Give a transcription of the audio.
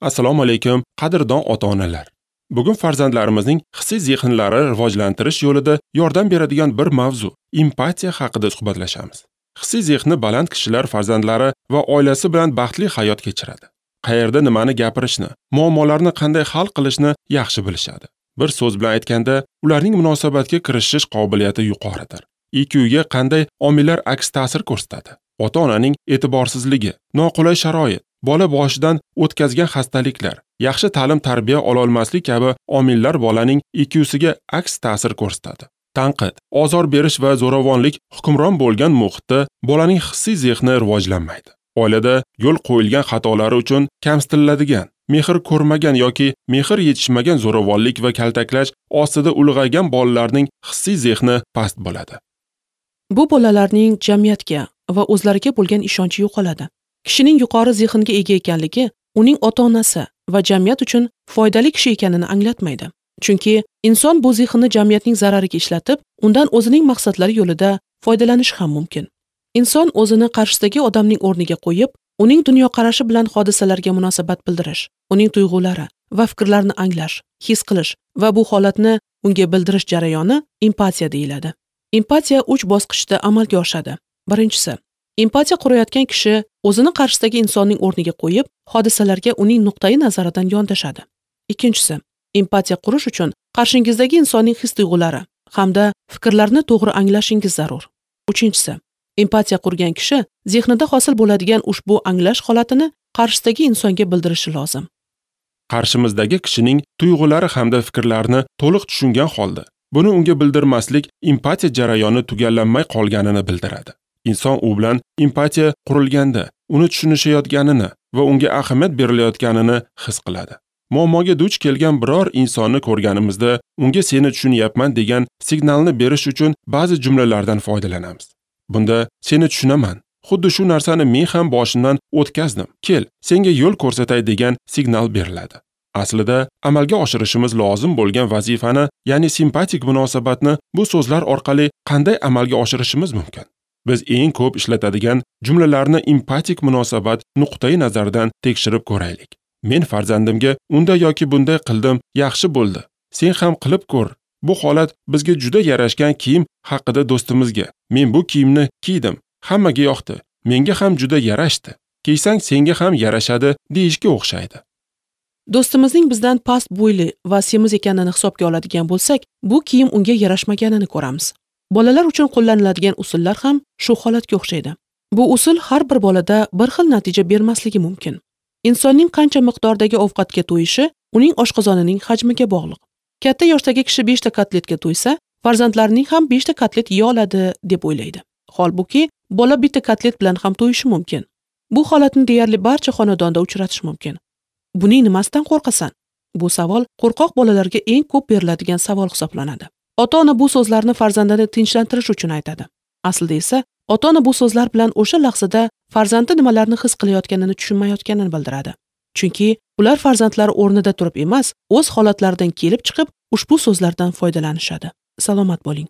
Assalomu alaykum, qadrdon ota-onalar. Bugun farzandlarimizning hissiy zehnlari rivojlantirish yo'lida yordam beradigan bir mavzu empatiya haqida suhbatlashamiz. Hissiy zehni baland kishilar farzandlari va oilasi bilan baxtli hayot kechiradi. Qayerda nimani gapirishni, muammolarni qanday hal qilishni yaxshi bilishadi. Bir so'z bilan aytganda, ularning munosabatga kirishish qobiliyati yuqoridir. IQ ga qanday omillar aks ta'sir ko'rsatadi? Ota-onaning e'tiborsizligi, noqulay sharoit, bola boshidan o'tkazgan xastaliklar, yaxshi ta'lim-tarbiya ololmaslik kabi omillar bolaning IQsiga aks ta'sir ko'rsatadi. Tanqid, ozor berish va zo'ravonlik hukmron bo'lgan muhitda bolaning hissiy zehni rivojlanmaydi. Oilada yo'l qo'yilgan xatolari uchun kamsitiladigan, mehr ko'rmagan yoki mehr yetishmagan zo'ravonlik va kaltaklash ostida ulg'aygan bolalarning hissiy zehni past bo'ladi. Bu bolalarning jamiyatga va o'zlariga bo'lgan ishonchi yo'qoladi. Kishining yuqori zehnga ega ekanligi uning ota-onasi va jamiyat uchun foydali kishi ekanini anglatmaydi. Chunki inson bu zehnni jamiyatning zarariga ishlatib, undan o'zining maqsadlari yo'lida foydalanishi ham mumkin. Inson o'zini qarshisidagi odamning o'rniga qo'yib, uning dunyoqarashi bilan hodisalarga munosabat bildirish, uning tuyg'ulari va fikrlarini anglash, his qilish va bu holatni unga bildirish jarayoni empatiya deyiladi. Empatiya 3 bosqichda amalga oshadi. Birinchisi, empatiya qurayotgan kishi o'zini qarshisidagi insonning o'rniga qo'yib, hodisalarga uning nuqtai nazaridan yondashadi. Ikkinchisi, empatiya qurish uchun qarshingizdagi insonning his-tuyg'ulari hamda fikrlarini to'g'ri anglashingiz zarur. Uchinchisi, empatiya qurgan kishi zehnida hosil bo'ladigan ushbu anglash holatini qarshisidagi insonga bildirishi lozim. Qarshimizdagi kishining tuyg'ulari hamda fikrlarini to'liq tushungan holda buni unga bildirmaslik empatiya jarayoni tugallanmay qolganini bildiradi. Inson u bilan empatiya qurilganda uni tushunishayotganini va unga ahamiyat berilayotganini his qiladi. Muammoga duch kelgan biror insonni ko'rganimizda unga seni tushunyapman degan signalni berish uchun ba'zi jumlalardan foydalanamiz. Bunda seni tushunaman, xuddi shu narsani men ham boshimdan o'tkazdim, kel, senga yo'l ko'rsatay degan signal beriladi. Aslida amalga oshirishimiz lozim bo'lgan vazifani, ya'ni simpatik munosabatni bu so'zlar orqali qanday amalga oshirishimiz mumkin? Biz eng ko'p ishlatadigan jumlalarni empatik munosabat nuqtai nazaridan tekshirib ko'raylik. Men farzandimga unday yoki bunday qildim, yaxshi bo'ldi. Sen ham qilib ko'r. Bu holat bizga juda yarashgan kiyim haqida do'stimizga: men bu kiyimni kiydim, hammaga yoqdi, menga ham juda yarashdi. Kiysang senga ham yarashadi deyishga o'xshaydi. Do'stimizning bizdan past bo'yli va semiz ekanini hisobga oladigan bo'lsak, bu kiyim unga yarashmaganini ko'ramiz. Bolalar uchun qo'llaniladigan usullar ham shu holatga o'xshaydi. Bu usul har bir bolada bir xil natija bermasligi mumkin. Insonning qancha miqdordagi ovqatga to'yishi uning oshqozonining hajmiga bog'liq. Katta yoshdagi kishi 5 ta kotletga to'ysa, farzandlarining ham 5 ta kotlet yeya oladi deb o'ylaydi. Holbuki, bola bitta kotlet bilan ham to'yishi mumkin. Bu holatni deyarli barcha xonadonda uchratish mumkin. Buning nimasidan qo'rqasan? Bu savol qo'rqoq bolalarga eng ko'p beriladigan savol hisoblanadi. Ota-ona bu so'zlarni farzandini tinchlantirish uchun aytadi. Aslida esa ota-ona bu so'zlar bilan o'sha lahzada farzandi nimalarni his qilayotganini tushunmayotganini bildiradi. Chunki ular farzandlari o'rnida turib emas, o'z holatlaridan kelib chiqib ushbu so'zlardan foydalanishadi. Salomat bo'ling.